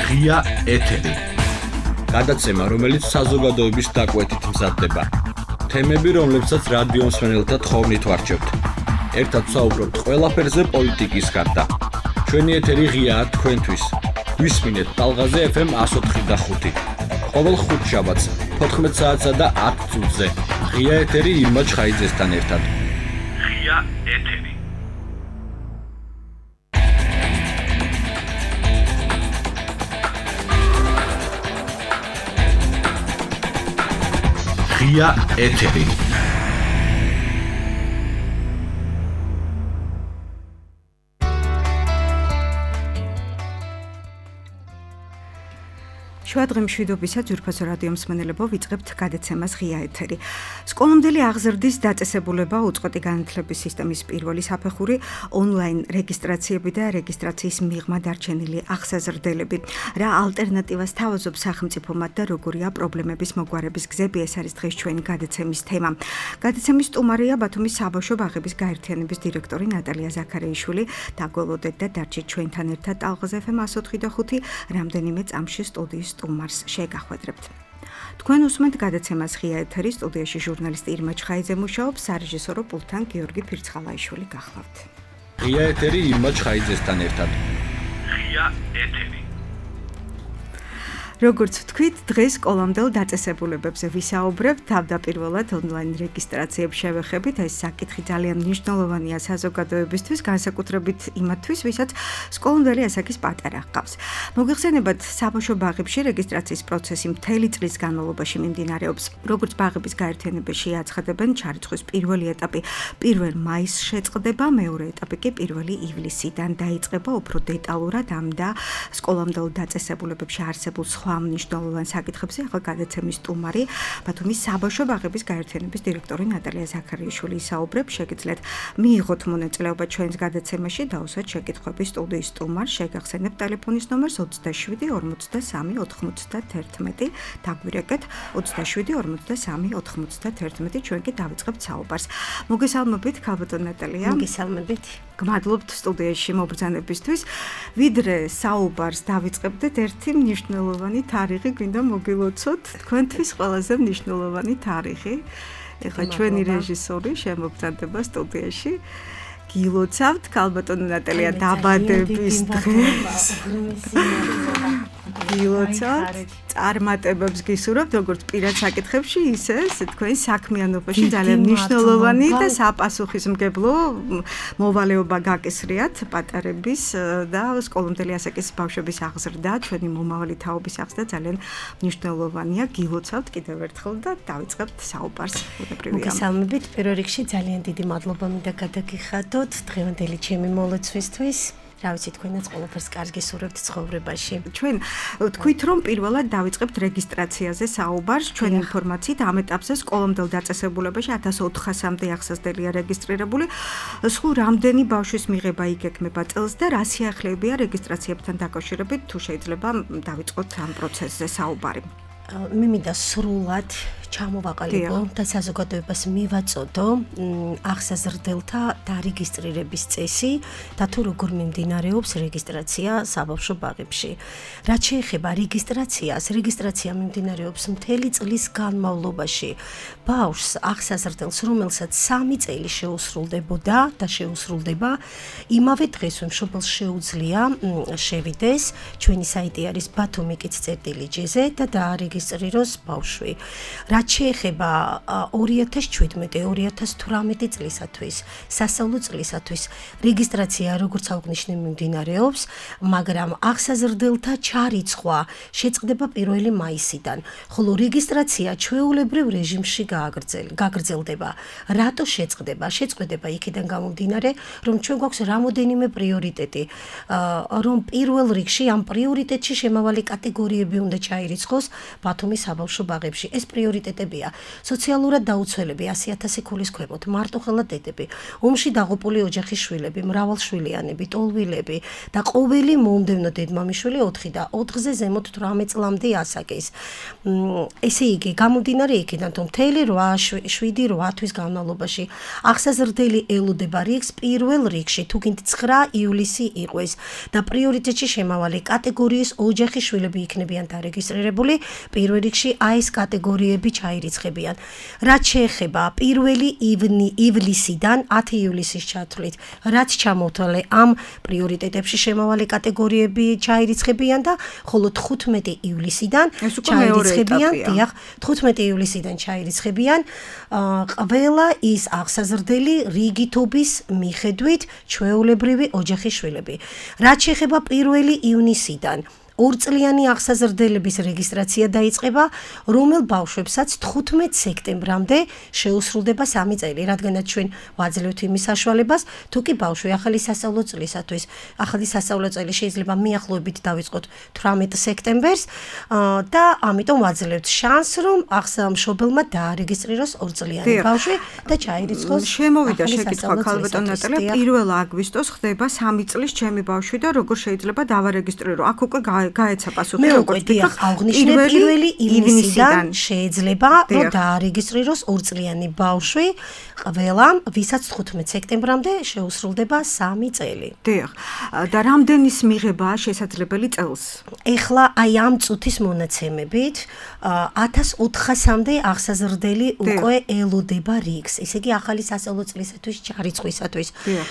ღია ეთერი. გადაცემა, რომელიც საზოგადოების დაკვეთით მზადდება. თემები, რომლებსაც რადიო მსმენელთა თხოვნით ვარჩევთ. ერთად ვსაუბრობთ ყველაფერზე პოლიტიკის გარდა. ჩვენი ეთერი ღიაა თქვენთვის. გვისმინეთ ტალღაზე FM 104.5. ყოველ ხუთშაბათს 14 საათსა და 10 წუთზე. ღია ეთერი ირმა ჩხაიძესთან ერთად. ღია ეთერი. ღია ეთერი. შუადღე მშვიდობისა ძვირფასო რადიო მსმენელებო, ვიწყებთ გადაცემას ღია ეთერი. სკოლამდელი აღზრდის დაწესებულება უწყვეტი განათლების სისტემის პირველი საფეხური, ონლაინ რეგისტრაციები და რეგისტრაციის მიღმა დარჩენილი აღსაზრდელები. რა ალტერნატივას თავაზობს სახელმწიფომად და როგორია პრობლემების მოგვარების გზები, ეს არის დღეს ჩვენი გადაცემის თემა. გადაცემის სტუმარია ბათუმის საბავშვო ბაღების გაერთიანების დირექტორი ნატალია ზაქარეიშვილი. დაგველოდეთ და დარჩით ჩვენთან ერთად ტალღაზე FM 104.5 რამდენიმე წამში სტუდიის სტუმარს შეგახვედრებთ. თქვენ უსმენთ გადაცემას ღია ეთერი, სტუდიაში ჟურნალისტი ირმა ჩხაიძე მუშაობს, სარეჟისორო პულტთან გიორგი ფირცხალაიშვილი გახლავთ. ღია ეთერი ირმა ჩხაიძესთან ერთად. ღია ეთერი. როგორც ვთქვით, დღეს სკოლამდელ დაწესებულებებზე ვისაუბრებთ, თავდაპირველად ონლაინ რეგისტრაციებს შევეხებით. ეს საკითხი ძალიან მნიშვნელოვანია საზოგადოებისთვის, განსაკუთრებით იმათთვის, ვისაც სკოლამდელი ასაკის პატარა ჰყავს. მოგეხსენებათ, საბავშვო ბაღებში რეგისტრაციის პროცესი მთელი წლის განმავლობაში მიმდინარეობს. როგორც ბაღების გაერთიანებაში აცხადებენ, ჩარიცხვის პირველი ეტაპი 1 მაისს შეწყდება, მეორე ეტაპი კი 1 ივლისიდან დაიწყება. უფრო დეტალურად ამ და სკოლამდელ დაწესებულებებში არსებულ სხვა მნიშვნელოვან საკითხებზე ახლა გადაცემის სტუმარი ბათუმის საბავშვო ბაღების გაერთიანების დირექტორი ნატალია ზაქარეიშვილი ისაუბრებს. შეგიძლიათ მიიღოთ მონაწილეობა ჩვენს გადაცემაში, დაუსვათ შეკითხვები სტუდიის სტუმარს. შეგახსენებთ ტელეფონის ნომერს 27 43 91. დაგვირეკეთ 27 43 91. ჩვენ კი დავიწყებთ საუბარს. მოგესალმებით, ქალბატონ ნატალია. მოგესალმებით. გმადლობთ სტუდიაში მობრძანებისთვის. ვიდრე საუბარს დავიწყებდეთ, ერთი მნიშვნელოვანი თარიღი გვინდა მოგილოცოთ. თქვენთვის ყველაზე მნიშვნელოვანი თარიღი. ეხლა ჩვენი რეჟისორი შემოგზადება სტუდიაში. გილოცავთ ქალბატონო ნატალია დაბადების დღეს. გილოცავთ, წარმატებებს გისურვებთ, როგორც პირად საკითხებში, ისე თქვენ საქმიანობაში ძალიან მნიშვნელოვანი და საპასუხისმგებლო მოვალეობა გაკისრიათ პატარების და სკოლამდელი ასაკის ბავშვების აღზრდა, ჩვენი მომავალი თაობის აღზრდა ძალიან მნიშვნელოვანია. გილოცავთ კიდევ ერთხელ და დავიწყებთ საუბარს. მოგესალმებით. პირველ რიგში ძალიან დიდი მადლობა მინდა გადაგიხადოთ დღევანდელი ჩემი მოლოცვისთვის. რა ვიცი, თქვენაც ყველაფერს კარგს გისურვებთ ცხოვრებაში. ჩვენ ვთქვით, რომ პირველად დავიწყებთ რეგისტრაციაზე საუბარს. ჩვენი ინფორმაციით ამ ეტაპზე სკოლამდელ დაწესებულებაში 1400-მდე აღსაზრდელია რეგისტრირებული. სულ რამდენი ბავშვის მიღება იგეგმება წელს და რა სიახლეებია რეგისტრაციებთან დაკავშირებით, თუ შეიძლება დავიწყოთ ამ პროცესზე საუბარი. მე მინდა სრულად ჩამოვაყალიბო და საზოგადოებას მივაწოდო აღსაზრდელთა დარეგისტრირების წესი და თუ როგორ მიმდინარეობს რეგისტრაცია საბავშვო ბაღებში. რაც შეეხება რეგისტრაციას, რეგისტრაცია მიმდინარეობს მთელი წლის განმავლობაში. ბავშვს აღსაზრდელს, რომელსაც 3 წელი შეუსრულდებოდა და შეუსრულდება, იმავე დღეს მშობელს შეუძლია შევიდეს, ჩვენი საიტი არის batumikits.gz და დაარეგისტრიროს ბავშვი. რაც შეეხება 2017-2018 წლისათვის, სასწავლო წლისათვის, რეგისტრაცია როგორც აღნიშნე მიმდინარეობს, მაგრამ აღსაზრდელთა ჩარიცხვა შეწყდება 1 მაისიდან, ხოლო რეგისტრაცია ჩვეულებრივ რეჟიმში გაგრძელდება. რატო შეწყდება? შეწყდება იქიდან გამომდინარე, რომ ჩვენ გვაქვს რამოდენიმე პრიორიტეტი, რომ პირველ რიგში ამ პრიორიტეტში შემავალი კატეგორიები უნდა ჩაირიცხოს ბათუმის საბავშვო ბაღებში. ეს პრიორიტეტი პრიორიტეტებია. სოციალურად დაუცველები 100,000 ქულის ქვემოთ, მარტოხელა დედები, ომში დაღუპული ოჯახის შვილები, მრავალშვილიანები, ტოლვილები და ყოველი მომდევნო დედმამიშვილი 4 და 4-ზე ზემოთ 18 წლამდე ასაკის. ესე იგი, გამომდინარე იქიდან, რომ მთელი 7-8 თვის განმავლობაში აღსაზრდელი ელოდება რიგს პირველ რიგში, თუ გინდ 9 ივლისი იყოს და პრიორიტეტში შემავალი კატეგორიის ოჯახის შვილები იქნებიან დარეგისტრირებული, პირველ რიგში აი ეს კატეგორიები ჩაირიცხებიან. რაც შეეხება პირველი ივლისიდან 10 ივლისის ჩათვლით, რაც ჩამოთვალე ამ პრიორიტეტებში შემავალი კატეგორიები ჩაირიცხებიან და ხოლო 15 ივლისიდან ჩაირიცხებიან, დიახ, 15 ივლისიდან ჩაირიცხებიან ყველა ის აღსაზრდელი რიგითობის მიხედვით ჩვეულებრივი ოჯახის შვილები. რაც შეეხება 1 ივნისიდან 2 წლიანი აღსაზრდელების რეგისტრაცია დაიწყება, რომელ ბავშვებსაც 15 სექტემბრამდე შეუსრულდება 3 წელი, რადგანაც ჩვენ ვაძლევთ იმის საშუალებას, თუ კი ბავშვი ახალი სასწავლო წლისათვის, ახალი სასწავლო წელი შეიძლება მიახლოებით დავიწყოთ 18 სექტემბერს და ამიტომ ვაძლევთ შანსს, რომ მშობელმა დაარეგისტრიროს 2 წლიანი ბავშვი და ჩაირიცხოს. შემოვიდა შეკითხვა ქალბატონ ნატალია, 1 აგვისტოს ხდება 3 წლის ჩემი ბავშვი და როგორ შეიძლება დავარეგისტრირო? აქ უკვე გაეცა პასუხი, როგორც ვთქვი, აღვნიშნე 1 ივნისიდან შეიძლება რომ დაარეგისტრიროს 2 წლიანი ბავშვი ყველამ, ვისაც 15 სექტემბრამდე შეუსრულდება 3 წელი. დიახ. და რამდენის მიღებაა შესაძლებელი წელს? ეხლა აი ამ წუთის მონაცემებით 1400-მდე აღსაზრდელი უკვე ელოდება რიგს. ესე იგი ახალი სასწავლო წლისათვის ჩარიცხვისათვის.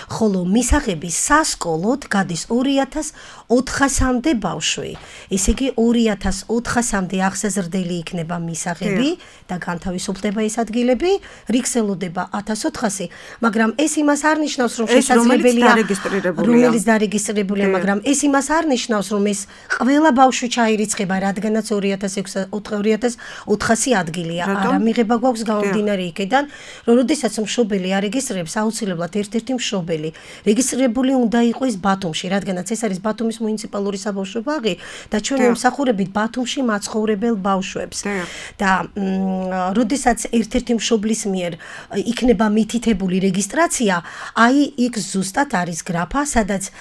ხოლო მისაღები სასკოლოდ გადის 2400-მდე ბავშვი. ესე იგი 2400-მდე აღსაზრდელი იქნება მისაღები და განთავისუფლდება ეს ადგილები, რიგს ელოდება 1400, მაგრამ ეს იმას არ ნიშნავს, რომ შესაძლებელია რომელიც დარეგისტრირებულია, მაგრამ ეს იმას არ ნიშნავს, რომ ეს ყველა ბავშვი ჩაირიცხება, რადგანაც 2400 ადგილია. არა, მიღება გვაქვს გამომდინარე იქიდან, რომ როდესაც მშობელი არეგისტრირებს, აუცილებლად ერთ-ერთი მშობელი რეგისტრირებული უნდა იყოს ბათუმში, რადგანაც ეს არის ბათუმის მუნიციპალური საბავშვო ბაღი და ჩვენ ვიმსახურებით ბათუმში მაცხოვრებელ ბავშვებს. და როდესაც ერთ-ერთი მშობლის მიერ იქნება მითითებული რეგისტრაცია, აი იქ ზუსტად არის გრაფა, სადაც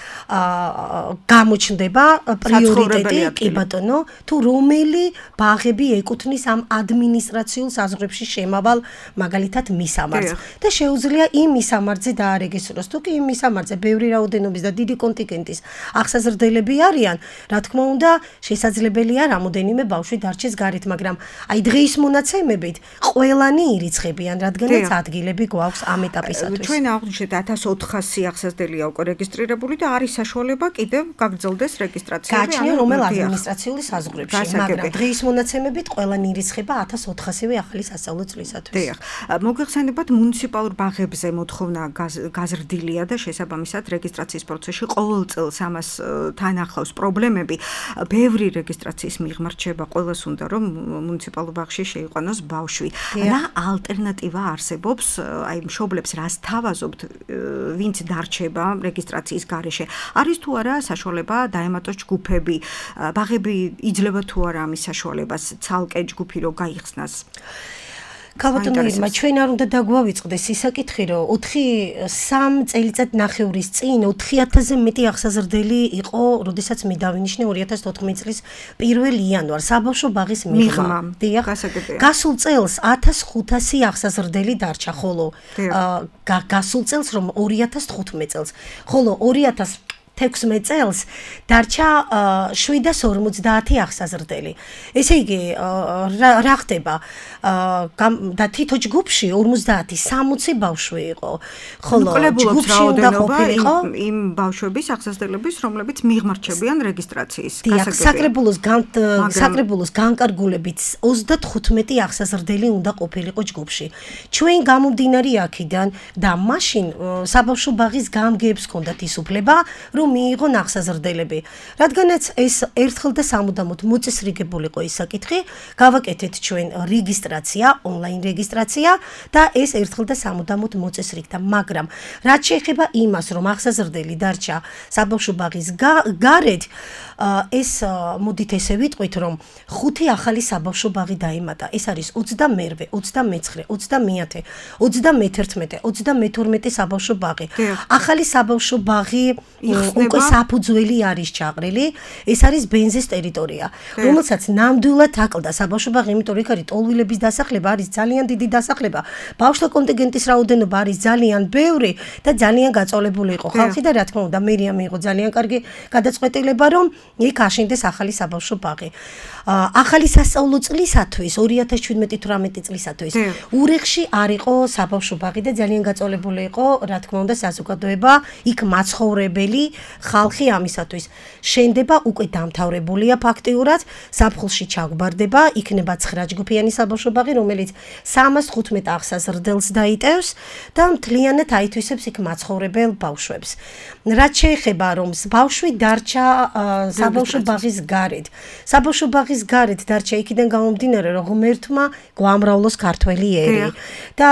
გამოჩნდება პრიორიტეტი, კი ბატონო, თუ რომელი ბაღები ეკუთვნის ამ ადმინისტრაციულ საზღვრებში შემავალ მაგალითად მისამართს და შეუძლია იმ მისამართზე დაარეგისტრიროს. თუ კი იმ მისამართზე ბევრი რაოდენობის და დიდი კონტინგენტის აღსაზრდელები არიან, რა თქმა უნდა, შესაძლებელია რამოდენიმე ბავშვი დარჩეს გარეთ, მაგრამ აი დღეის მონაცემებით ყველანი ირიცხებიან, რადგანაც ადგილები გვაქვს ამ ეტაპისათვის. ჩვენ აღვნიშნეთ 1400 აღსაზრდელია უკვე რეგისტრირებული და არის საშუალება კიდევ გაგრძელდეს რეგისტრაცია. გაჩნია რომელ ადმინისტრაციული საზღვრებში, მაგრამ დღეის მონაცემებით ყველანი ირიცხება 1400-ვე ახალი სასწავლო წლისათვის. დიახ. მოგეხსენებათ მუნიციპალურ ბაღებზე მოთხოვნა გაზრდილია და შესაბამისად რეგისტრაციის პროცესში ყოველ წელს ამას თან ახლავს პრობლემები. ბევრი რეგისტრაციის მიღმა რჩება, ყოველს უნდა რომ მუნიციპალურ ბაღში შეიყვანოს ბავშვი. რა ალტერნატივა არსებობს? აი მშობლებს რას თავაზობთ, ვინც დარჩება რეგისტრაციის გარეშე? არის თუ არა საშუალება დაემატოს ჯგუფები? ბაღები იძლევა თუ არა ამის საშუალებას ცალკე ჯგუფი რო გაიხსნას? ქალბატონო ირმა, ჩვენ არ უნდა დაგვავიწყდეს ისაკითხი, რომ 3 წელიწად ნახევრის წინ 4000-ზე მეტი აღსაზრდელი იყო, როდესაც მე დავინიშნე 2014 წლის 1 იანვარს საბავშვო ბაღის მიღმა. დიახ. გასულ წელს 1500 აღსაზრდელი დარჩა, ხოლო გასულ წელს რომ 2015 წელს, ხოლო 2016 წელს დარჩა 750 აღსაზრდელი. ესე იგი, რა ხდება? და თითო ჯგუფში 50-60 ბავშვი იყო. ხოლო ჯგუფში უნდა ყოფილიყო იმ ბავშვების აღსაზრდელების, რომლებიც მიღმარჩებიან რეგისტრაციის. საკრებულოს განკარგულებით 35 აღსაზრდელი უნდა ყოფილიყო ჯგუფში. ჩვენ გამომდინარე აქედან და მაშინ საბავშვო ბაღის გამგეებს ჰქონდათ ის უფლება, რომ მიიღონ აღსაზრდელები. რადგანაც ეს ერთხელ და სამუდამოდ მოწესრიგებულიყო ის საკითხი, გავაკეთეთ ჩვენ რეგისტრაცია, ონლაინ რეგისტრაცია და ეს ერთხელ და სამუდამოდ მოწესრიგდა, მაგრამ რაც შეეხება იმას, რომ აღსაზრდელი დარჩა საბავშვო ბაღის გარეთ, ეს მოდით ესე ვიტყვით, რომ 5 ახალი საბავშვო ბაღი დაემატა. ეს არის 22, 29, 30, 31, 32 საბავშვო ბაღი. ახალი საბავშვო ბაღი უკვე საფუძველი არის ჩაყრილი. ეს არის ბენზეს ტერიტორია, რომელსაც ნამდვილად აკლდა საბავშვო ბაღი, იმიტომ რომ იქ არის ტოლვილების დასახლება, არის ძალიან დიდი დასახლება. ბავშვთა კონტინგენტის რაოდენობა არის ძალიან ბევრი და ძალიან გაწოლებული იყო ხალხი და რა თქმა უნდა მერია მიიღო ძალიან კარგი გადაწყვეტილება, რომ იქ აშენდეს ახალი საბავშვო ბაღი. ახალი სასწავლო წლისათვის 2017-18 წლისათვის ურეხში არ იყო საბავშვო ბაღი და ძალიან გაწოლებული იყო რა თქმა უნდა საზოგადოება, იქ მაცხოვრებელი ხალხი ამისათვის. შენდება უკვე დამთავრებულია ფაქტიურად, ზაფხულში ჩაგვარდება, იქნება 9 ჯგუფიანი საბავშვო ბაღი, რომელიც 315 აღსაზრდელს დაიტევს და მთლიანად აითვისებს იქ მაცხოვრებელ ბავშვებს. რაც შეეხება რომ ბავშვი დარჩა საბავშვო ბაღის გარეთ. საბავშვო ბაღის გარეთ დარჩა იქიდან გამომდინარე, რომ ღმერთმა გვამრავლოს ქართველი ერი და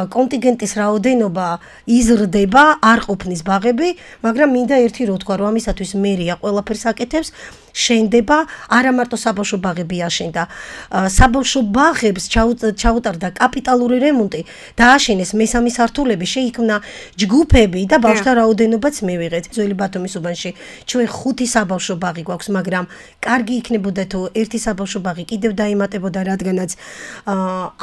კონტინგენტის რაოდენობა იზრდება, არ ყოფნის ბაღები, მაგრამ მინდა ერთი რო თქვა, რომ ამისათვის მერია ყველაფერს აკეთებს. შენდება არა მარტო საბავშვო ბაღები აშენდა, საბავშვო ბაღებს ჩაუტარდა კაპიტალური რემონტი, დააშენეს მესამე სართულები, შეიქმნა ჯგუფები და ბავშვთა რაოდენობაც მივიღეთ. ძველი ბათუმის უბანში ჩვენ 5 საბავშვო ბაღი გვაქვს, მაგრამ კარგი იქნებოდა თუ ერთი საბავშვო ბაღი კიდევ დაემატებოდა, რადგანაც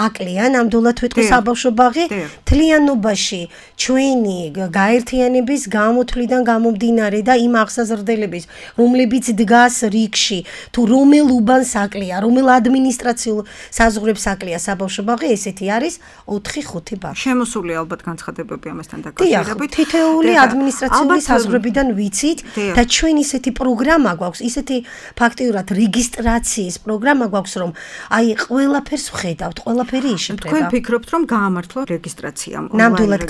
აკლია ნამდვილად ვიტყვი საბავშვო ბაღი. თლიანობაში ჩვენი გაერთიანების გამოთვლიდან გამომდინარე და იმ აღსაზრდელების, რომლებიც დგას რიგში, თუ რომელ უბანს აკლია, რომელ ადმინისტრაციულ საზღვრებს აკლია საბავშვო ბაღი, ესეთი არის 4-5 ბაღი. შემოსული ალბათ განცხადებები ამასთან დაკავშირებით. თითოეული ადმინისტრაციული საზღვრებიდან ვიცით და ჩვენ ისეთი პროგრამა გვაქვს, ისეთი ფაქტიურად რეგისტრაციის პროგრამა გვაქვს, რომ აი ყველაფერს ვხედავთ, ყველაფერი იშიფრება. თქვენ ფიქრობთ, რომ გაამართლა რეგისტრაცია? ნამდვილად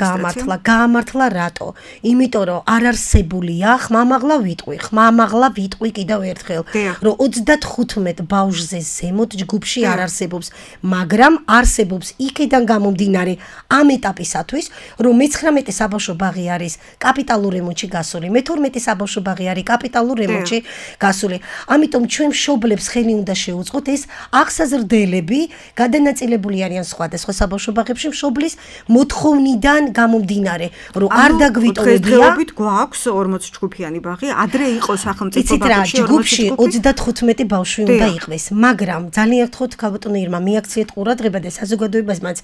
გაამართლა რატო? იმიტომ რომ არ არსებულია ხმამაღლა ვიტყვი კიდევ ერთხელ, რომ 35 ბავშვზე ზემოთ ჯგუფში არ არსებობს, მაგრამ არსებობს იქიდან გამომდინარე ამ ეტაპისათვის, რომ 19 საბავშვო ბაღი არის კაპიტალურ რემონტში გასული, 12 საბავშვო ბაღი არის კაპიტალურ რემონტში გასული. ამიტომ ჩვენ მშობლებს ხელი უნდა შეუწყოთ, ეს აღსაზრდელები გადანაწილებული არიან სხვადასხვა საბავშვო ბაღებში მშობლის მოთხოვნიდან გამომდინარე, რომ არ დაგვიტოვებია. გვაქვს 40 ჯგუფიანი ბაღი, ადრე იყო სახელმწიფო ბაღებში ჯგუფში 35 ბავშვი უნდა იყვეს, მაგრამ ძალიან გთხოვთ ქალბატონო ირმა, მიაქციეთ ყურადღება და საზოგადოებასაც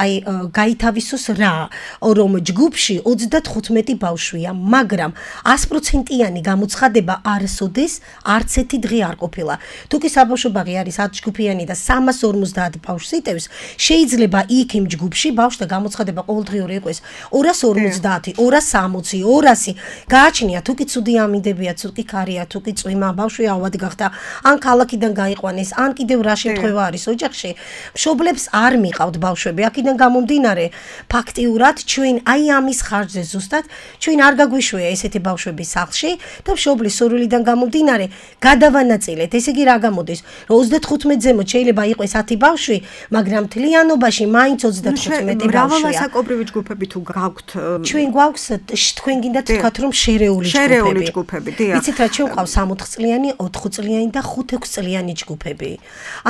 აი გაითავისოს რა, რომ ჯგუფში 35 ბავშვია, მაგრამ 100%-იანი გამოცხადება არასოდეს არც ერთი დღე არ ყოფილა. თუ კი საბავშვო ბაღი არის 10 ჯგუფიანი და 350 ბავშვს იტევს, შეიძლება იქ იმ ჯგუფში ბავშვთა გამოცხადება ყოველდღიური იყოს 250, 260, 200. გააჩნია თუ კი ცუდი ამინდებია, თუ კი ქარია, თუ კი წვიმა, ბავშვი ავად გახდა, ან ქალაქიდან გაიყვანეს, ან კიდევ რა შემთხვევა არის ოჯახში, მშობლებს არ მიყავთ ბავშვები. აქედან გამომდინარე, ფაქტიურად ჩვენ აი ამის ხარჯზე ზუსტად ჩვენ არ გაგვიშვია ესეთი ბავშვები სახლში და მშობლის სურვილიდან გამომდინარე გადავანაწილეთ. ესე იგი რა გამოდის, რომ 35 ზემოთ შეიძლება იყოს 10 ბავშვი, მაგრამ მთლიანობაში მაინც 35 ბავშვია. მრავალასაკობრივი ჯგუფები თუ გაქვთ? ჩვენ გვაქვს, თქვენ გინდათ თქვათ რომ შერეული ჯგუფები. ვიცით რა, ჩვენ გვყავს 60 წლიანი, 4 წლიანი და 5-6 წლიანი ჯგუფები.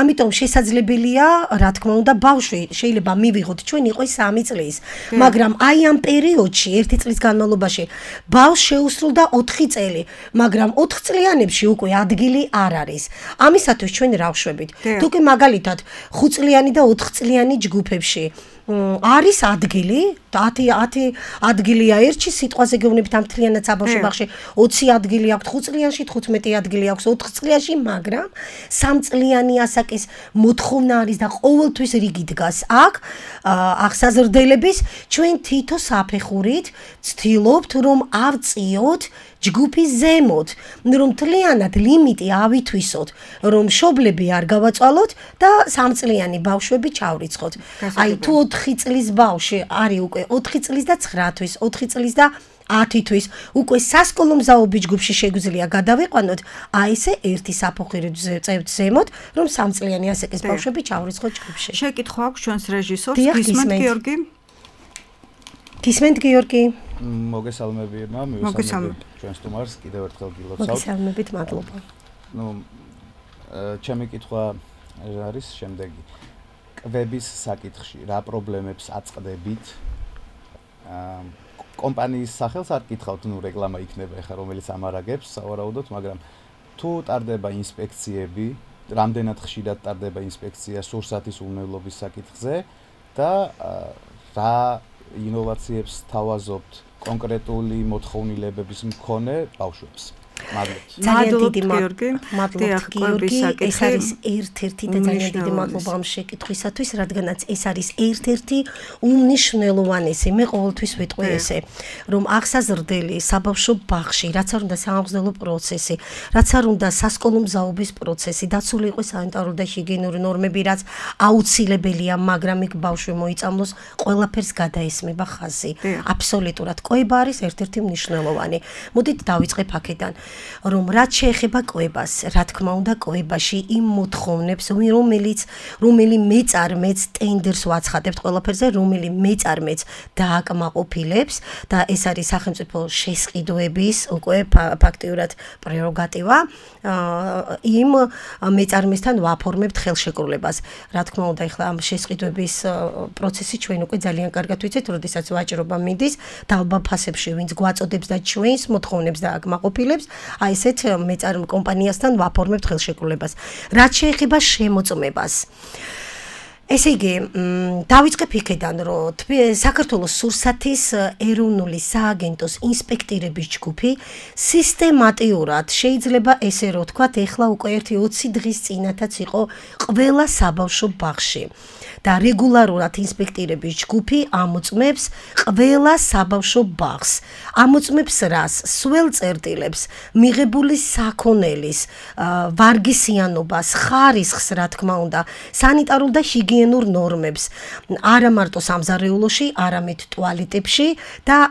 ამიტომ შესაძლებელია, რა თქმა უნდა, ბავშვი შეიძლება მივიღოთ ჩვენ იყოს 3 წლის, მაგრამ აი ამ პერიოდში 1 წლის განმავლობაში ბავშვს შეუსრულდა 4 წელი, მაგრამ 4 წლიანებში უკვე ადგილი არ არის. ამისათვის ჩვენ რა ვშვებით? თუ კი მაგალითად 5 წლიანი და 4 წლიანი ჯგუფებში არის ადგილი, 10 ადგილია ერთში, სიტყვაზე გეუბნებით ამ მთლიანად საბავშვო ბაღში 20 ადგილი აქვს, 5 წლიანში 15 ადგილი აქვს, 4 წლიანში, მაგრამ 3 წლიანი ასაკის მოთხოვნა არის და ყოველთვის რიგი დგას აქ აღსაზრდელების. ჩვენ თითო საფეხურით ვცდილობთ რომ ავწიოთ ჯგუფის ზემოთ, რომ მთლიანად ლიმიტი ავითვისოთ, რომ მშობლები არ გავაწვალოთ და 3 წლიანი ბავშვები ჩავრიცხოთ. აი თუ 4 წლის ბავშვი არის უკვე 4 წლის და 9 თვის, 4 წლის და 10 თვის, უკვე სასკოლო მზაობის ჯგუფში შეგვიძლია გადავიყვანოთ, აი ესე ერთი საფუძველი წევთ ზემოთ, რომ 3 წლიანი ასაკის ბავშვები ჩავრიცხოთ ჯგუფში. შეკითხვა აქვს ჩვენს რეჟისორს, გისმენთ გიორგი? გისმენთ გიორგი? მოგესალმები, მოგესალმებით ჩვენს სტუმარს, კიდევ ერთხელ გილოცავთ. მოგესალმებით, მადლობა. ჩემი კითხვა არის შემდეგი. კვების საკითხში რა პრობლემებს აწყდებით? კომპანიის სახელს არ გითხავთ, რეკლამა იქნება ეხლა რომელიც ამარაგებს, სავარაუდოდ, მაგრამ თუ ტარდება ინსპექციები, რამდენად ხშირად ტარდება ინსპექცია სურსათის უვნებლობის საკითხზე და რა ინოვაციებს თავაზობთ კონკრეტული მოთხოვნილებების მქონე ბავშვებს? ძალიან დიდი მადლობა გიორგი, ეს არის ერთ-ერთი და ძალიან დიდი მადლობა ამ შეკითხვისათვის, რადგანაც ეს არის ერთ-ერთი უმნიშვნელოვანესი, მე ყოველთვის ვიტყვი ესე, რომ აღსაზრდელი საბავშვო ბაღში, რაც არ უნდა სამგზელო პროცესი, რაც არ უნდა სასკოლო მზაობის პროცესი, დაცული იყოს სანიტარული და ჰიგიენური ნორმები, რაც აუცილებელია, მაგრამ იქ ბავშვი მოიწამლოს, ყველაფერს გადაესმება ხაზი. აბსოლუტურად კვება არის ერთ-ერთი მნიშვნელოვანი. მოდით დავიწყებ აქედან. რომ რაც შეეხება კვებას, რა თქმა უნდა, კვებაში იმ მოთხოვნებს, რომელი მეწარმეც ტენდერს ვაცხადებთ ყველაფერზე, რომელი მეწარმეც დააკმაყოფილებს და ეს არის სახელმწიფო შესყიდვების უკვე ფაქტიურად პრეროგატივა, იმ მეწარმესთან ვაფორმებთ ხელშეკრულებას. რა თქმა უნდა, ეხლა ამ შესყიდვების პროცესი ჩვენ უკვე ძალიან კარგად ვიცით, როდესაც ვაჭრობა მიდის დაბალ ფასებში, ვინც გვაწოდებს და ჩვენს მოთხოვნებს დააკმაყოფილებს, აი ესეთ მეწარმე კომპანიასთან ვაფორმებთ ხელშეკრულებას. რაც შეეხება შემოწმებას. ესე იგი, დავიწყებ იქედან, რომ საქართველოს სურსათის ეროვნული სააგენტოს ინსპექტირების ჯგუფი სისტემატიურად შეიძლება ესე რომ ვთქვათ, ეხლა უკვე 1-20 დღის წინათაც იყო ყველა საბავშვო ბაღში. და რეგულარულად ინსპექტირების ჯგუფი ამოწმებს ყველა საბავშვო ბაღს. ამოწმებს რას? სველ წერტილებს, მიღებული საქონელის, ვარგისიანობას, ხარისხს, რა თქმა უნდა, სანიტარულ და ჰიგიენურ ნორმებს. არა მარტო სამზარეულოში, არამედ ტუალეტებში და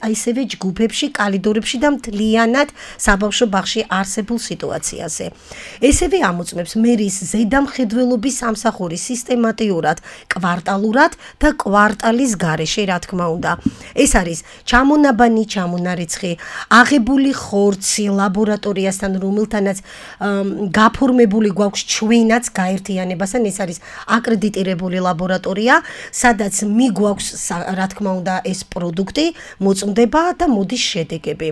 აისევე ჯგუფებში, კალიდორებში და მთლიანად საბავშვო ბაღში არსებულ სიტუაციაზე. ესევე ამოწმებს მერის ზედამხედველობის სამსახური სისტემატიურად კვარტალურად და კვარტალის გარეშე, რა თქმა უნდა. ეს არის ჩამონაბანი, ჩამონარიცხი, აღებული ხორცი ლაბორატორიასთან, რომელთანაც გაფორმებული გვაქვს ჩვენაც გაერთიანებასთან, ეს არის აკრედიტირებული ლაბორატორია, სადაც მიგვაქვს, რა თქმა უნდა, ეს პროდუქტი მოწმდება და მოდის შედეგები.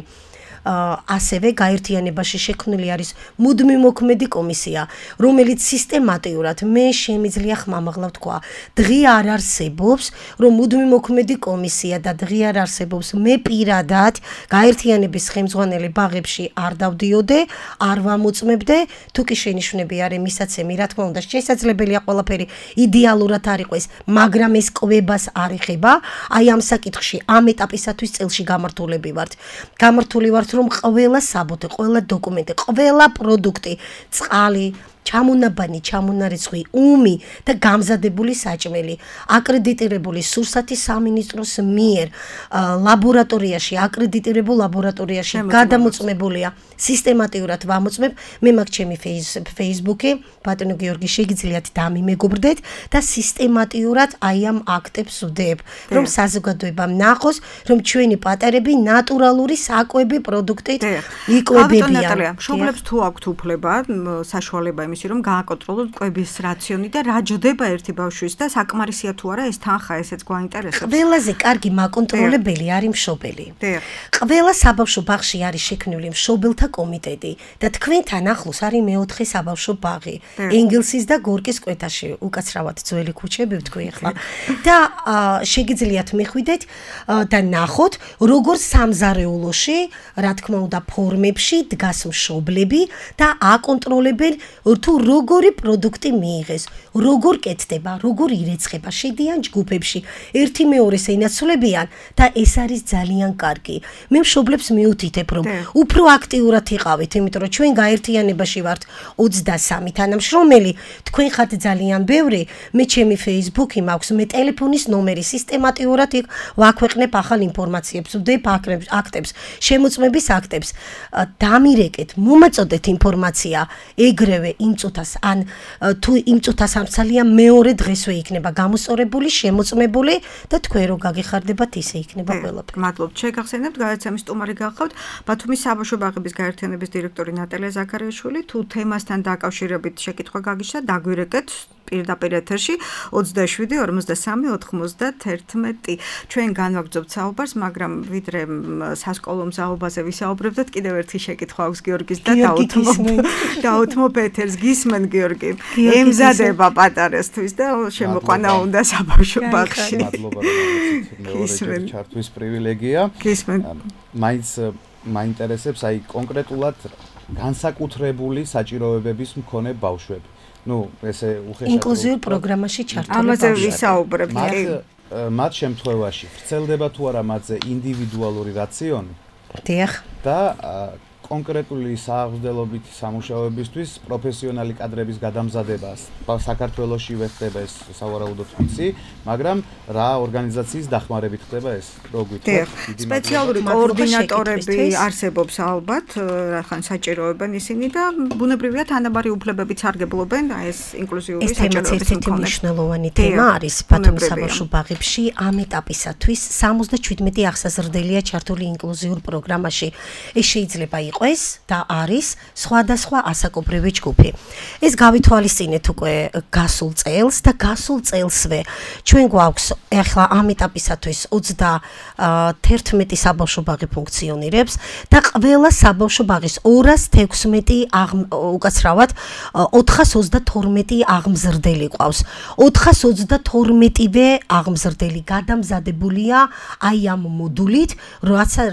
ასევე გაერთიანებაში შექმნილი არის მუდმივ მოქმედი კომისია, რომელიც სისტემატიურად მე შემიძლია ხმამაღლა ვთქვა, დღე არ არსებობს, რომ მუდმივ მოქმედი კომისია და დღე არ არსებობს, მე პირადად გაერთიანების ხელმძღვანელი ბაღებში არ დავდიოდე, არ ვამოწმებდე, თუ კი შენიშვნები არის მისაცემი, რა თქმა უნდა, შესაძლებელია ყველაფერი იდეალურად არ იყოს, მაგრამ ეს კვებას არ ეხება, აი ამ საკითხში ამ ეტაპისათვის წელში გამართულები ვართ. გამართული ვართ რომ ყველა საბუთე, ყველა დოკუმენტი, ყველა პროდუქტი, წყალი, ჩამონაბანი, ჩამონარიცხი, უმი და გამზადებული საჭმელი, აკრედიტირებული სურსათის სამინისტროს მიერ ლაბორატორიაში, აკრედიტირებულ ლაბორატორიაში გადამოწმებულია. სისტემატიურად ვამოწმებ, მე მაქვს ჩემი Facebook-ი, ბატონო გიორგი, შეგიძლიათ დამიმეგობრდეთ და სისტემატიურად აი ამ აქტებს ვდებ, რომ საზოგადოებამ ნახოს, რომ ჩვენი პატარები ნატურალური საკვები პროდუქტით იკვებებიან. მშობლებს თუ აქვთ უფლება, საშუალება იმისი, რომ გააკონტროლოთ კვების რაციონი და რა ჯდება ერთი ბავშვის და საკმარისია თუ არა ეს თანხა, ესეც გვაინტერესებს. ყველაზე კარგი მაკონტროლებელი არის მშობელი. ყველა საბავშვო ბაღში არის შექმნილი მშობელთა კომიტეტი და თქვენთან ახლოს არის მეოთხე საბავშვო ბაღი. ენგელსის და გორკის კვეთაში, უკაცრავად ძველი ქუჩები ვთქვი ახლა. და შეგიძლიათ მეხვიდეთ და ნახოთ, როგორ სამზარეულოში, რა თქმა უნდა, ფორმებში დგას მშობლები და აკონტროლებენ თუ როგორი პროდუქტი მიიღეს, როგორ კეთდება, როგორ ირეცხება, შედიან ჯგუფებში, ერთი მეორეს ენაცვლებიან და ეს არის ძალიან კარგი. მე მშობლებს მიუთითებ, რომ უფრო აქტიურად იყავით, იმიტომ რომ ჩვენ გაერთიანებაში ვართ 23 თანამშრომელი, თქვენ ხართ ძალიან ბევრი, მე ჩემი Facebook-ი მაქვს, მე ტელეფონის ნომერი სისტემატიურად ვაქვეყნებ ახალ ინფორმაციებს, ვდებ აქტებს, შემოწმების აქტებს, დამირეკეთ, მომაწოდეთ ინფორმაცია, ეგრევე წუთას ან თუ იმ წუთას ამცალია მეორე დღესვე იქნება გამოსწორებული, შემოწმებული და თქვენ რო გაგიხარდებათ ისე იქნება ყველაფერი. მადლობთ. შეგახსენებთ გადაცემის სტუმარი გახავთ ბათუმის საბავშვო ბაღების გაერთიანების დირექტორი ნატალია ზაქარიაშვილი. თუ თემასთან დაკავშირებით შეკითხვა გაგიშა, დაგვირეკეთ პირდაპირ ეთერში 27-53-91. ჩვენ განვაგრძობთ საუბარს, მაგრამ ვიდრე სასკოლო მზაობაზე ვისაუბრებდეთ, კიდევ ერთი შეკითხვა აქვს გიორგის და დაუთმობ ეთერს. გისმენ გიორგი. ემზადება პატარასთვის და შემოყვანა უნდა საბავშვო ბაღში. მადლობა რომ მეორე ჩართვის პრივილეგია. გისმენ. მაინც მაინტერესებს აი კონკრეტულად განსაკუთრებული საჭიროებების მქონე ბავშვები. ნუ ესე უხეშად ინკლუზიურ პროგრამაში ჩართული ამაზე ვისაუბრებთ. მათ შემთხვევაში ვრცელდება თუ არა მათზე ინდივიდუალური რაციონი დიახ და კონკრეტული სააღმრთელობითი სამუშაოებისთვის პროფესიონალი კადრების გადამზადებას საქართველოში ხდება ეს სავარაუდოდ ვიცი, მაგრამ რა ორგანიზაციის დახმარებით ხდება ეს? დიახ, სპეციალური კოორდინატორები არსებობს ალბათ, რახან საჭიროებენ ისინი და ბუნებრივია თანაბარი უფლებებიც სარგებლობენ ეს ინკლუზიური საჭიროებების ერთ-ერთი მნიშვნელოვანი თემა არის ბათუმის საბავშვო ბაღებში ამ ეტაპისათვის 77 აღსაზრდელია ჩართული ინკლუზიურ პროგრამაში. ეს შეიძლება იყოს და არის სხვადასხვა ასაკობრივი ჯგუფი. ეს გავითვალისწინეთ უკვე გასულ წელს და გასულ წელსვე ჩვენ გვაქვს ახლა ამ ეტაპისათვის 31 საბავშვო ბაღი ფუნქციონირებს და ყველა საბავშვო ბაღის 216 უკაცრავად 432 აღმზრდელი ყავს. 422-ვე აღმზრდელი გადამზადებულია აი ამ მოდულით,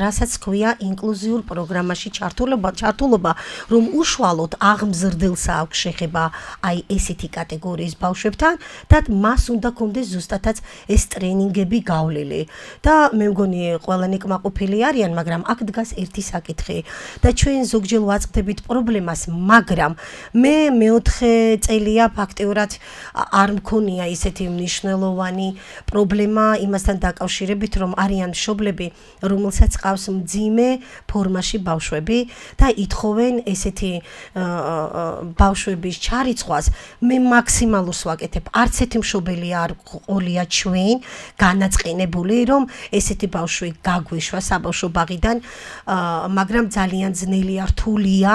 რასაც ქვია ინკლუზიურ პროგრამაში ჩართულობა, რომ უშუალოდ აღმზრდელს აქვს შეხება აი ესეთი კატეგორიის ბავშვებთან და მას უნდა კონდეს ზუსტადაც ეს ტრენინგები გავლილი. და მე მგონი ყველანი კმაყოფილი არიან, მაგრამ აქ დგას ერთი საკითხი და ჩვენ ზოგჯერ ვაწყდებით პრობლემას, მაგრამ მე მეოთხე წელია ფაქტიურად არ მქონია ისეთი მნიშვნელოვანი პრობლემა იმასთან დაკავშირებით, რომ არიან მშობლები, რომელსაც ყავს მძიმე ფორმაში ბავშვები და ითხოვენ ესეთი ბავშვების ჩარიცხვას. მე მაქსიმალურს ვაკეთებ. არც ერთი მშობელი არ ყოლია ჩვენ განაწყენებული, რომ ესეთი ბავშვი გაგვეშვა საბავშვო ბაღიდან, მაგრამ ძალიან ძნელია, რთულია,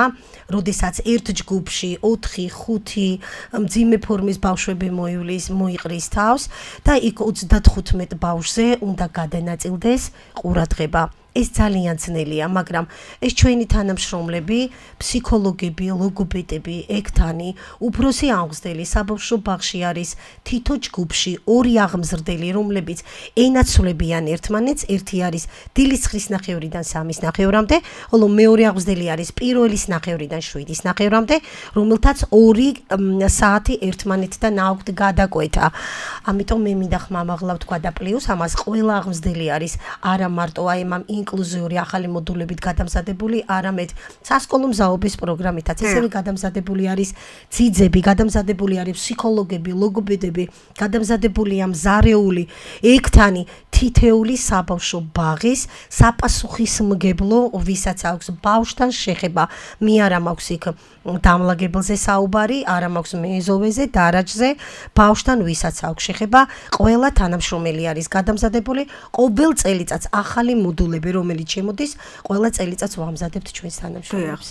როდესაც ერთ ჯგუფში 4-5 მძიმე ფორმის ბავშვები მოიყრის თავს და იქ 35 ბავშვზე უნდა გადანაწილდეს ყურადღება. ეს ძალიან ძნელია, მაგრამ ეს ჩვენი თანამშრომლები, ფსიქოლოგები, ლოგოპედები, ექთანი, უფროსი აღმზრდელი საბავშვო ბაღში არის თითო ჯგუფში 2 აღმზრდელი, რომლებიც ენაცვლებიან ერთმანეთს, ერთი არის დილის 9:30-დან 3:30-მდე, ხოლო მეორე აღმზრდელი არის პირველის 9:30-დან 7:30-მდე, რომელთაც 2 საათი ერთმანეთთან აქვთ გადაკვეთა. ამიტომ მე მინდა ხმამაღლა ვთქვა და პლუს ამას ყველა აღმზრდელი არის არა მარტო აი ამ ინკლუზიური ახალი მოდულებით გადამზადებული, არამედ სასკოლო მზაობის პროგრამითაც ისევე გადამზადებული არის ძიძები, გადამზადებული არის ფსიქოლოგები, ლოგოპედები, გადამზადებულია მზარეული ექთანი, თითეული საბავშვო ბაღის საპასუხისმგებლო, ვისაც აქვს ბავშვთან შეხება. მე არა მაქვს იქ დამლაგებელზე საუბარი, არა მაქვს მეზოვეზე, დარაჯზე, ბავშვთან ვისაც აქვს შეხება, ყველა თანამშრომელი არის გადამზადებული, ყოველ წელიწადს ახალი მოდულები, რომელიც შემოდის, ყველა წელიწადს ვამზადებთ ჩვენს თანამშრომლებს.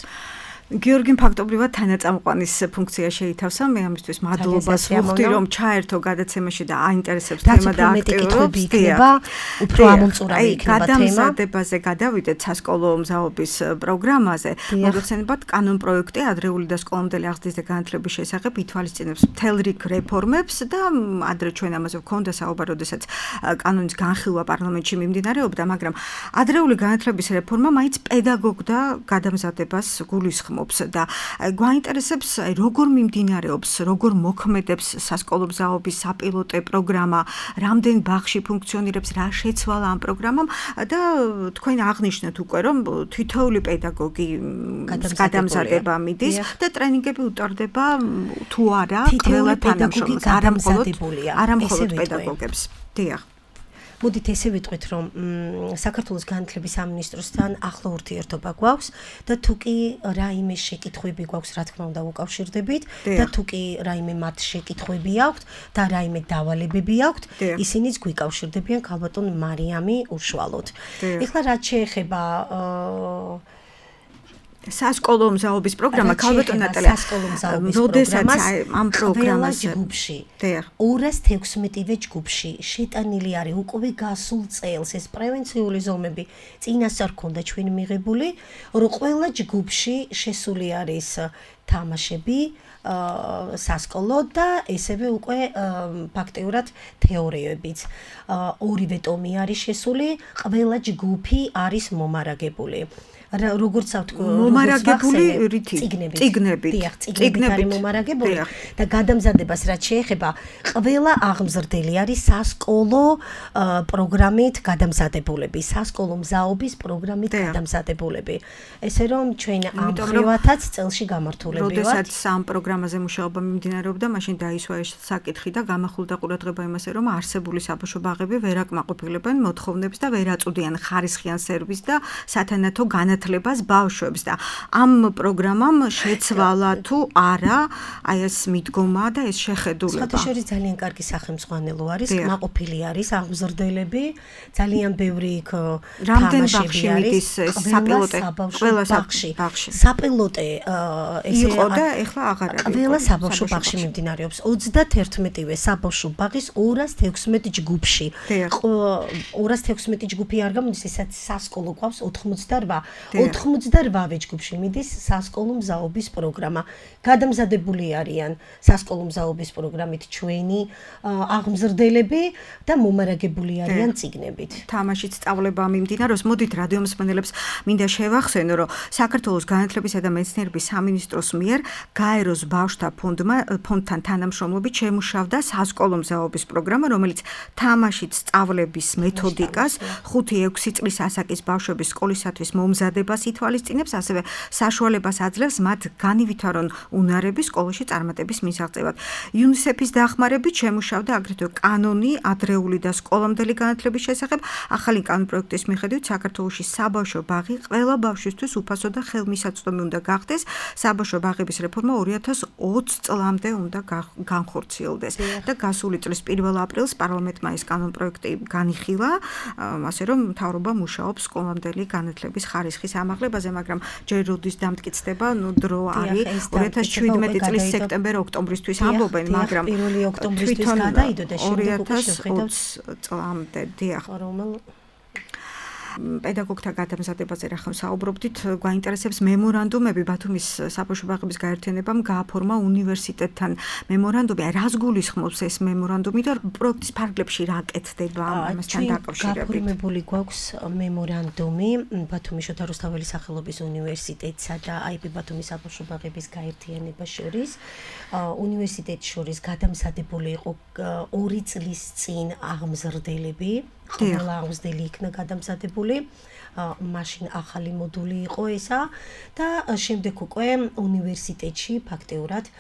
გიორგიმ ფაქტობრივად თანაწამყვანის ფუნქცია შეითავსა. მე ამისთვის მადლობას ვუხდი, რომ ჩაერთო გადაცემაში და აინტერესებს თემა და აქტიურობს. უფრო ამომწურავი იქნება თემა. გადამზადებაზე გადავიდეთ სასკოლო მზაობის პროგრამაზე. მოგეხსენებათ, კანონ პროექტი ადრეული და სკოლამდელი აღზრდის და განათლების შესახებ ითვალისწინებს მთელ რიგ რეფორმებს და ადრე ჩვენ ამაზე ვქონდა საუბარი, როდესაც კანონის განხილვა პარლამენტში მიმდინარეობდა, მაგრამ ადრეული განათლების რეფორმა მაინც პედაგოგ და გადამზადებას გულისხმობს. და გვაინტერესებს როგორ მიმდინარეობს, როგორ მოქმედებს სასკოლო მზაობის საპილოტე პროგრამა, რამდენ ბაღში ფუნქციონირებს, რა შეცვალა ამ პროგრამამ და თქვენ აღნიშნეთ უკვე, რომ თითოეული პედაგოგი გადამზადება მიდის და ტრენინგები უტარდება თუ არა ყველა თანამშრომელს, არა მხოლოდ პედაგოგებს. დიახ. მოდით ესე ვიტყვით, რომ საქართველოს განათლების სამინისტროსთან ახლო ურთიერთობა გვაქვს და თუ კი რაიმე შეკითხვები გვაქვს, რა თქმა უნდა, უკავშირდებით და თუ კი რაიმე მათ შეკითხვები აქვთ და რაიმე დავალებები აქვთ, ისინიც გვიკავშირდებიან ქალბატონ მარიამი უშუალოდ. ეხლა რაც შეეხება სასკოლო მზაობის პროგრამა ქალბატონ ნატალია სასკოლო მზაობის პროგრამას ამ პროგრამაზე ჯგუფში 216-ვე ჯგუფში შეტანილი არის უკვე გასულ წელს ეს პრევენციული ზომები წინასწარ ქონდა ჩვენ მიღებული რომ ყველა ჯგუფში შესული არის თამაშები სასკოლო და ესევე უკვე ფაქტიურად თეორიებიც ორივე ტომი არის შესული ყველა ჯგუფი არის მომარაგებული როგორც ავთქო მომარაგებული წიგნებით არის მომარაგებული და გადამზადებას რაც შეეხება ყველა აღმზრდელი არის სასკოლო პროგრამით გადამზადებულები სასკოლო მზაობის პროგრამით გადამზადებულები ესე რომ ჩვენ ამ ხრივათაც წელში გამართულები ვართ როდესაც ამ პროგრამაზე მუშაობა მიმდინარეობდა მაშინ დაისვა ეს საკითხი და გამახვილდა ყურადღება იმასე რომ არსებული საბავშვო ბაღები ვერ აკმაყოფილებენ მოთხოვნებს და ვერ აწვდიან ხარისხიან სერვისს და სათანადო განათლებას ბავშვებს და ამ პროგრამამ შეცვალა თუ არა აი ეს მიდგომა და ეს შეხედულება. საერთაშორისო ძალიან კარგი სახელმძღვანელო არის, კმაყოფილი არის აღმზრდელები, ძალიან ბევრი იქ რამდენბაღში მიდის საპილოტე ყველა ბაღში. საპილოტე ესე იყო და ეხლა აღარ არის. ყველა საბავშვო ბაღში მიმდინარეობს 31-ვე საბავშვო ბაღის 216 ჯგუფში. 216 ჯგუფი არ გამოდის, ესაც სასკოლო გვაქვს 88-ვე ჯგუფში მიდის სასკოლო მზაობის პროგრამა. გადამზადებული არიან სასკოლო მზაობის პროგრამით ჩვენი აღმზრდელები და მომარაგებული არიან წიგნებით. თამაშით სწავლება მიმდინარეობს. მოდით რადიო მსმენელებს მინდა შევახსენო, რომ საქართველოს განათლებისა და მეცნიერების სამინისტროს მიერ გაეროს ბავშვთა ფონდთან თანამშრომლობით შემუშავდა სასკოლო მზაობის პროგრამა, რომელიც თამაშით სწავლების მეთოდიკას 5-6 წლის ასაკის ბავშვების სკოლისათვის მომზადებას ითვალისწინებს, ასევე საშუალებას აძლევს მათ განივითარონ უნარები სკოლაში წარმატების მისაღწევად. UNICEF-ის დახმარებით შემუშავდა აგრეთვე კანონი ადრეული და სკოლამდელი განათლების შესახებ. ახალი კანონპროექტის მიხედვით საქართველოში საბავშვო ბაღი ყველა ბავშვისთვის უფასო და ხელმისაწვდომი უნდა გახდეს. საბავშვო ბაღების რეფორმა 2020 წლამდე უნდა განხორციელდეს და გასული წლის 1 აპრილს პარლამენტმა ეს კანონპროექტი განიხილა, ასე რომ მთავრობა მუშაობს სკოლამდელი განათლების ხარისხის ამაღლებაზე, მაგრამ ჯერ როდის დამტკიცდება, დრო არის 2017 წლის სექტემბერ-ოქტომბრისთვის ამბობენ, მაგრამ 1 ოქტომბრისთვის გადაიდო და შემდეგ უკვე შევხედავთ წლამდე. დიახ. პედაგოგთა გადამზადებაზე რა ხომ საუბრობდით, გვაინტერესებს მემორანდუმები ბათუმის საბავშვო ბაღების გაერთიანებამ გააფორმა უნივერსიტეტთან მემორანდუმი. რას გულისხმობს ეს მემორანდუმი და პროექტის ფარგლებში რა კეთდება ამასთან დაკავშირებით? გაფორმებული გვაქვს მემორანდუმი ბათუმის შოთა რუსთაველის სახელობის უნივერსიტეტსა და IP ბათუმის საბავშვო ბაღების გაერთიანებას შორის. უნივერსიტეტს შორის გადამზადებული იყო 2 წლის წინ აღმზრდელები. ყველა აღმზრდელი იქნა გადამზადებული, მაშინ ახალი მოდული იყო ესა და შემდეგ უკვე უნივერსიტეტში ფაქტიურად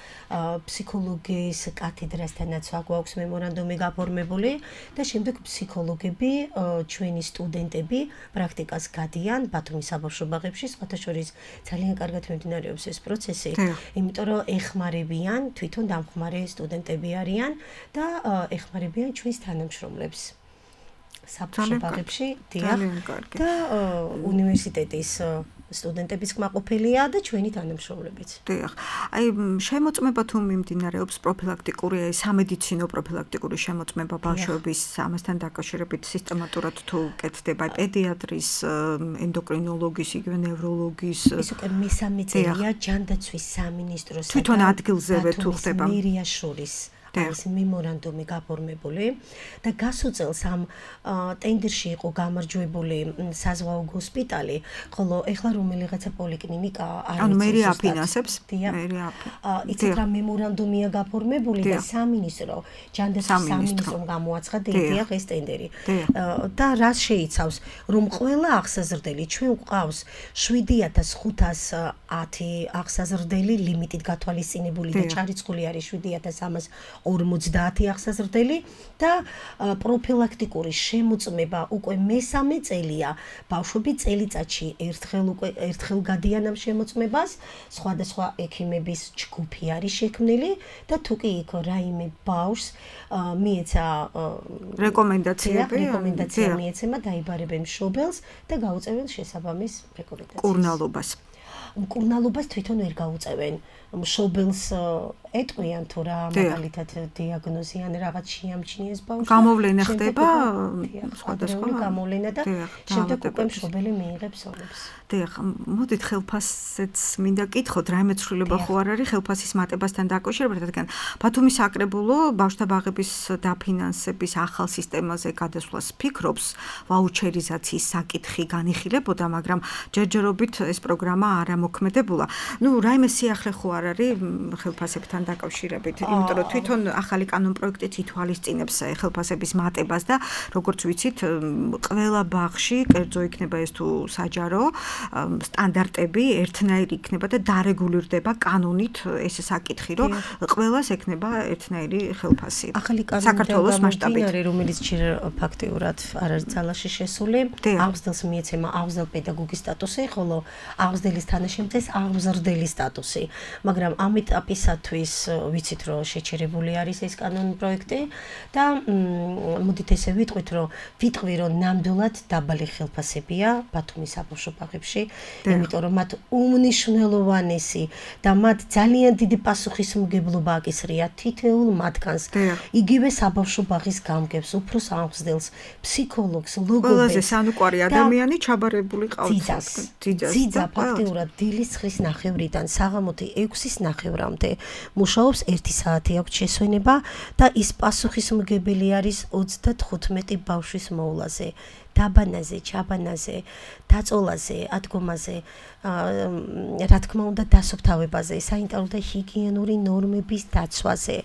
ფსიქოლოგიის კათედრასთანაც გვაქვს მემორანდუმი გაფორმებული და შემდეგ ფსიქოლოგები, ჩვენი სტუდენტები პრაქტიკას გადიან ბათუმის საბავშვო ბაღებში, სხვათა შორის ძალიან კარგად მიმდინარეობს ეს პროცესი, იმიტომ რომ ეხმარებიან, თვითონ დამხმარე სტუდენტები არიან და ეხმარებიან ჩვენს თანამშრომლებს. საბავშვო ბაღებში დიახ და უნივერსიტეტის სტუდენტების კმაყოფილია და ჩვენი თანამშრომლებიც. დიახ. აი შემოწმება თუ მიმდინარეობს პროფილაქტიკური, სამედიცინო პროფილაქტიკური შემოწმება ბავშვების ამასთან დაკავშირებით სისტემატურად თუ კეთდება პედიატრის, ენდოკრინოლოგის, იგივე ნევროლოგის. ეს უკვე მესამე წელია ჯანდაცვის სამინისტროს თვითონ ადგილზევე თუ ხდება მერიას შორის. ეს მემორანდუმი გაფორმებული და გასულ წელს ამ ტენდერში იყო გამარჯვებული საზღვაო ჰოსპიტალი, ხოლო ეხლა რომელიღაცა პოლიკლინიკა არ ანუ მერი აფინანსებს, მერი იცით რა მემორანდუმია გაფორმებული და სამინისტრო ჯანდაცვის სამინისტრომ გამოაცხადა დიახ ეს ტენდერი და რას შეიცავს, რომ ყველა აღსაზრდელი ჩვენ გვყავს 7510 აღსაზრდელი ლიმიტით გათვალისწინებული და ჩარიცხული არის 7300 50 აღსაზრდელი და პროფილაქტიკური შემოწმება უკვე მესამე წელია. ბავშვები წელიწადში ერთხელ გადიან ამ შემოწმებას, სხვადასხვა ექიმების ჯგუფი არის შექმნილი და თუ კი იქ რაიმე ბავშვს მიეცა რეკომენდაცია მიეცემა დაიბარებენ მშობელს და გაუწევენ შესაბამის რეკომენდაციას. მკურნალობას თვითონ ვერ გაუწევენ. მშობელს ეტყვიან თუ რა მაგალითად დიაგნოზი ან რაღაც შეამჩნიეს ბავშვს. გამოვლენა ხდება სხვადასხვა გამოვლენა და შემდეგ უკვე მშობელი მიიღებს ონებს. დიახ, მოდით ხელფასets მინდა კითხოთ, რაიმე ცვლილება ხო არ არის ხელფასის მატებასთან დაკავშირებით, რადგან ბათუმის საკრებულო ბავშვთა ბაღების დაფინანსების ახალ სისტემაზე გადასვლას ფიქრობს, ვაუჩერიზაციის საკითხი განიხილებოდა, მაგრამ ჯერჯერობით ეს პროგრამა არ ამოქმედებულა. რაიმე სიახლე ხო არ არის ხელფასებთან დაკავშირებით, იმიტომ რომ თვითონ ახალი კანონპროექტიც ითვალისწინებს ხელფასების მატებას და როგორც ვიცით, ყველა ბაღში კერძო იქნება ეს თუ საჯარო სტანდარტები ერთნაირი იქნება და დარეგულირდება კანონით ეს საკითხი, რომ ყველას ექნება ერთნაირი ხელფასი. ახალი საქართველოს მასშტაბით, რომელიც ჯერ ფაქტიურად არ არის ძალაში შესული, აღზრდელს მიეცემა აღზრდელ პედაგოგის სტატუსი, ხოლო აღზრდელის თანაშემწეს აღზრდელი სტატუსი. მაგრამ ამ ეტაპისათვის ვიცით, რომ შეჩერებული არის ეს კანონპროექტი და მოდით ესე ვიტყვით, რომ ნამდვილად დაბალი ხელფასებია ბათუმის საბავშვო ბაღებში, იმიტომ რომ მათ უმნიშვნელოვანესი და მათ ძალიან დიდი პასუხისმგებლობა აკისრია თითოეულ მათგანს. იგივე საბავშვო ბაღის გამგებს, უფროს აღზრდელს, ფსიქოლოგს, ლოგოპედს. ყველაზე სანუკვარი ადამიანი ჩაბარებული ყავს. ძიძა ფაქტიურად დილის 9:30-დან საღამოთი 6:30-მდე მუშაობს 1 საათი აქვს შესვენება და ის პასუხისმგებელი არის 35 ბავშვის მოვლაზე. დაბანაზე, ჩაბანაზე, დაწოლაზე, ადგომაზე, რა თქმა უნდა, დასუფთავებაზე, საინტერესო და ჰიგიენური ნორმების დაცვაზე.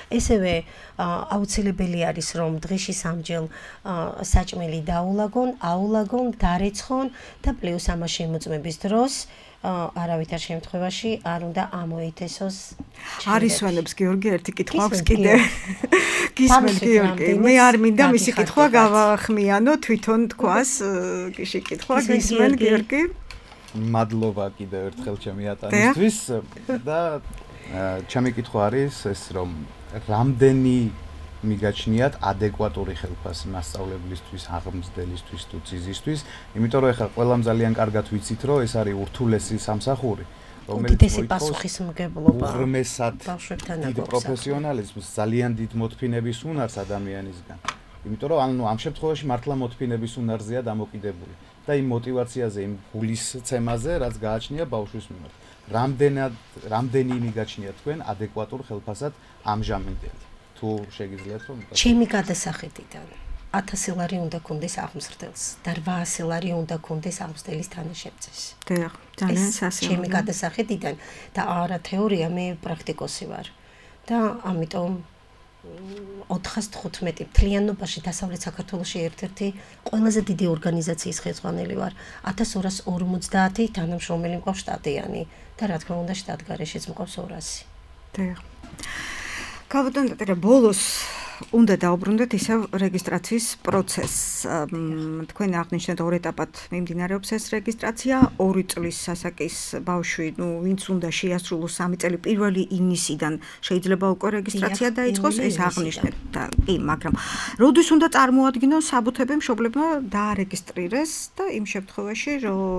ესევე აუცილებელი არის, რომ დღეში სამჯერ საჭმელი აულაგონ, დარეცხონ და პლუს ამას შემოწმების დროს არავითარ შემთხვევაში არ უნდა ამოითესოს. არის ვენებს გიორგი ერთი კითხვა აქვს კიდე. გისმენთ გიორგი, მე არ მინდა მისი კითხვა გავახმიანო, თვითონ თქვას გიში კითხვა გისმენთ გიორგი. მადლობა კიდევ ერთხელ ჩემი ატანისთვის და ჩემი კითხვა არის ეს, რომ რამდენი მიგაჩნიათ ადეკვატური ხელფასი მასწავლებლისთვის, აღმზრდელისთვის თუ ძიზისთვის, იმიტომ რომ ეხლა ყველამ ძალიან კარგად ვიცით, რომ ეს არის ურთულესი სამსახური, რომელიც პასუხისმგებლობა ბავშვებთან დიდ პროფესიონალიზმს, ძალიან დიდ მოთფინების უნარს ადამიანისგან. იმიტომ რომ ამ შემთხვევაში მართლა მოთფინების უნარზეა დამოკიდებული და იმ мотиваციაზე, იმ გულისცემაზე, რაც გააჩნია ბავშვის მიმართ. რამდენი მიგაჩნიათ თქვენ ადეკვატურ ხელფასად ამჟამინდელი? შეგიძლიათ რომ ჩემი გადასახედიდან 1000 ლარი უნდა კონდეს აღმზრდელს და 800 ლარი უნდა კონდეს აღმზრდელის თანაშემწეს. დიახ, ძალიან სასიამოვნო. ჩემი გადასახედიდან და არა თეორია, მე პრაქტიკოსი ვარ. და ამიტომ 415 მთლიანობაში დასავლეთ საქართველოში ერთ-ერთი ყველაზე დიდი ორგანიზაციის ხელმძღვანელი ვარ. 1250 თანამშრომელი მყავს შტატიანი და რა თქმა უნდა შტატგარეშეც მყავს 200. დიახ. გავუტანდეთ ბოლოს უნდა დაუბრუნდეთ ისევ რეგისტრაციის პროცესს. თქვენ აღნიშნეთ ორ ეტაპად მიმდინარეობს ეს რეგისტრაცია, 2 წლის სასაკის ბავშვი, ვინც უნდა შეასრულოს 3 წელი პირველი ივნისიდან შეიძლება უკვე რეგისტრაცია დაიწყოს, ეს აღნიშნეთ და კი, მაგრამ როდის უნდა წარმოადგინოს საბუთები მშობლებმა დაარეგისტრირეს და იმ შემთხვევაში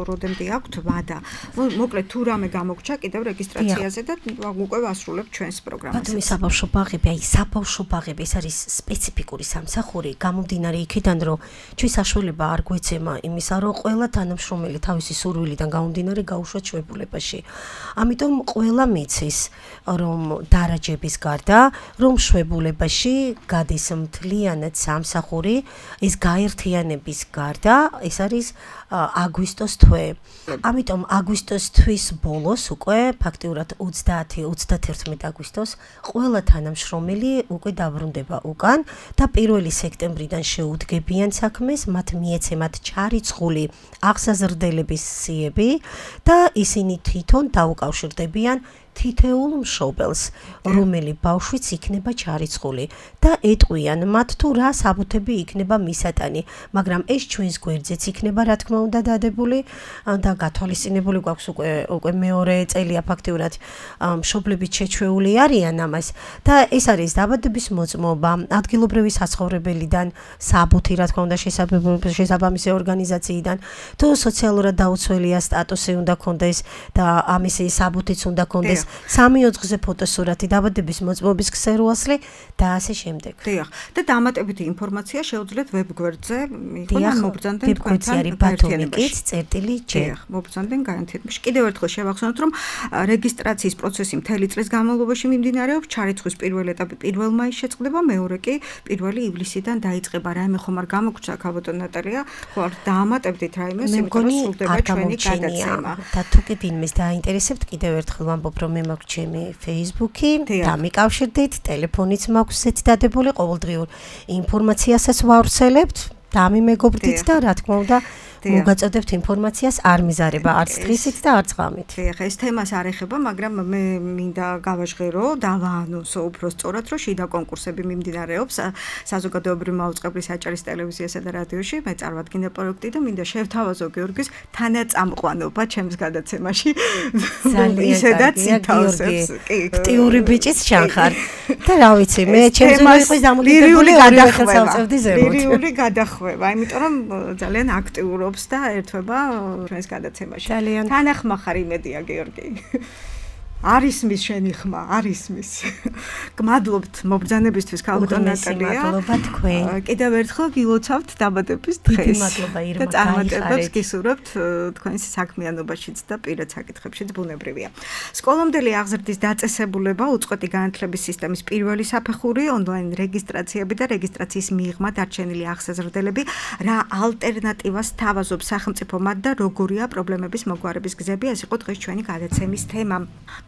როდემდე აქვთ ვადა. მოკლედ თუ რამე გამოგჩა კიდევ რეგისტრაციაზე და უკვე ვასრულებთ ჩვენს პროგრამას. ბათუმის საბავშვო ბაღები, საბავშვო ბაღები ეს არის სპეციფიკური სამსახური, გამომდინარე იქიდან, რომ ჩვენ საშუალება არ გვეცემა იმისა, რომ ყველა თანამშრომელი თავისი სურვილიდან გამომდინარე გაუშვათ შვებულებაში. ამიტომ ყველა მიცის, რომ დარაჯების გარდა, რომ შვებულებაში გადის მთლიანად სამსახური, ეს გაერთიანების გარდა, ეს არის აგვისტოს თვე. ამიტომ აგვისტოს თვის ბოლოს უკვე ფაქტიურად 30-31 აგვისტოს ყველა თანამშრომელი უკვე დაბრუნდება უკან და 1 სექტემბრიდან შეუდგებიან საქმეს, მათ მიეცემათ ჩარიცხული აღსაზრდელების სიები და ისინი თვითონ დაუკავშირდებიან თითეულ მშობელს, რომელი ბავშვიც იქნება ჩარიცხული და ეტყვიან მათ თუ რა საბუთები იქნება მისატანი, მაგრამ ეს ჩვენს გვერდზეც იქნება რა თქმა უნდა დადებული და გათვალისწინებული გვაქვს უკვე მეორე წელია ფაქტიურად მშობლები შეჩვეული არიან ამას და ეს არის დაბადების მოწმობა, ადგილობრივი საცხოვრებელიდან, საბუთი რა თქმა უნდა შესაბამისი ორგანიზაციიდან, თუ სოციალურად დაუცველია სტატუსი უნდა კონდეს და ამისი საბუთიც უნდა კონდეს 3 ოთხზე ფოტოსურათი, დაბადების მოწმობის ქსეროასლი და ასე შემდეგ. დიახ. და დამატებითი ინფორმაცია შეუძლიათ ვებგვერდზე მიყონ ან მობრძანდნენ თქვენთან ბათუმიკით წერტილი.j. დიახ, მობრძანდნენ განათებაში. კიდევ ერთხელ შევახსენოთ, რომ რეგისტრაციის პროცესი მთელი წლის განმავლობაში მიმდინარეობს, ჩარიცხვის პირველი ეტაპი 1 მაისს შეწყდება, მეორე კი 1 ივლისიდან დაიწყება. რაიმე ხომ არ გამოგჩა ქაბატონ ნატალია, ხო არ დაამატებდით რაიმე, იმიტომ რომ სრულდება ჩვენი გადაცემა. და თუ კი ვინმეს დაინტერესებთ, კიდევ ერთხელ ვამბობ, რომ მე მაქვს ჩემი Facebook-ი, დამიკავშირდით, ტელეფონიც მაქვს ესეთ დადებული, ყოველდღიურ ინფორმაციასაც ვავრცელებთ, დამიმეგობრდით და რა თქმა უნდა მოგაწოდებთ ინფორმაციას არ მიზარება არც დღისით და არც ღამით. დიახ, ეს თემას არ ეხება, მაგრამ მე მინდა გავაჟღერო, დავაანონსო უფრო სწორად, რომ შიდა კონკურსები მიმდინარეობს საზოგადოებრივი მაუწყებლის აჭარის ტელევიზიასა და რადიოში. მე წარვადგინე პროექტი და მინდა შევთავაზო გიორგის თანაწამყვანობა ჩემს გადაცემაში. ისედაც ითავსებს. აქტიური ბიჭიც ჩანხარ. და რა ვიცი, მე ჩემს იყო დამოკიდებული ორივე ხელს ავწევდი ზემოთ. ლირიული გადახვევა, იმიტომ რომ ძალიან აქტიურობ და ერთვება ჩვენს გადაცემაში. თანახმახარ იმედია გიორგი. არის მის შენი ხმა, არის მის. გმადლობთ მობრძანებისთვის ქალბატონ ნატალია. მადლობა თქვენ. კიდევ ერთხელ გილოცავთ დაბადების დღეს. მადლობა ირმა. და წარმატებებს გისურვებთ თქვენს საქმიანობაშიც და პირად საკითხებშიც ბუნებრივია. სკოლამდელი აღზრდის დაწესებულება, უწყვეტი განათლების სისტემის პირველი საფეხური, ონლაინ რეგისტრაციები და რეგისტრაციის მიღმა დარჩენილი აღსაზრდელები, რა ალტერნატივას თავაზობს სახელმწიფო მათ და როგორია პრობლემების მოგვარების გზები, ეს იყო დღეს ჩვენი გადაცემის თემა.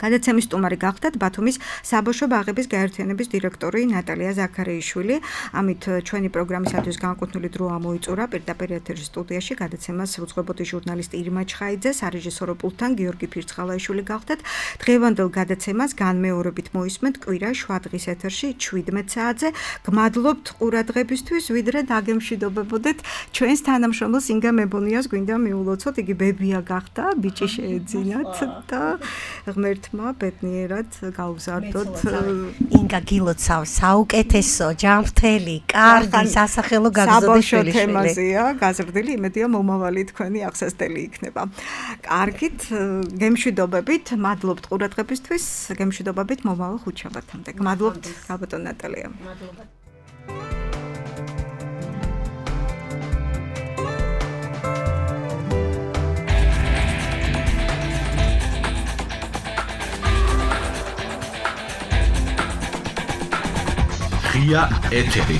გადაცემის სტუმარი გახდათ ბათუმის საბავშვო ბაღების გაერთიანების დირექტორი ნატალია ზაქარიაშვილი. ამით ჩვენი პროგრამისათვის განკუთვნილი დრო ამოიწურა პირდაპირ ეთერის სტუდიაში გადაცემას უძღვებოდი ჟურნალისტი ირმა ჩხაიძე, სარეჟისორო პულტთან გიორგი ფირცხალაიშვილი გახდათ. დღევანდელ გადაცემას განმეორებით მოისმენთ კვირა შვადღის ეთერში 17 საათზე. გმადლობთ ყურადღებისთვის, ვიდრე დაგემშვიდობებოდეთ ჩვენს თანამშრომელს ინგა მებონიას გვინდა მიულოცოთ, იგი ბებია გახდა, ბიჭი შეეძინათ და ღმერთმა ბედნიერად გაუზარდოთ. ინგა გილოცავს საუკეთესო, ჯანმრთელი, კარგი, სასახელო გაგზავნის შვილიშვილი. თემაზეა გაზრდილი, იმედია მომავალი თქვენი აღსასწრელი იქნება. კარგით, გემშვიდობებით, მადლობთ ყურადღებისთვის, გემშვიდობებით მომავალ ხუთშაბათამდე. გმადლობთ ქალბატონ ნატალია. მადლობა. ღია ეთერი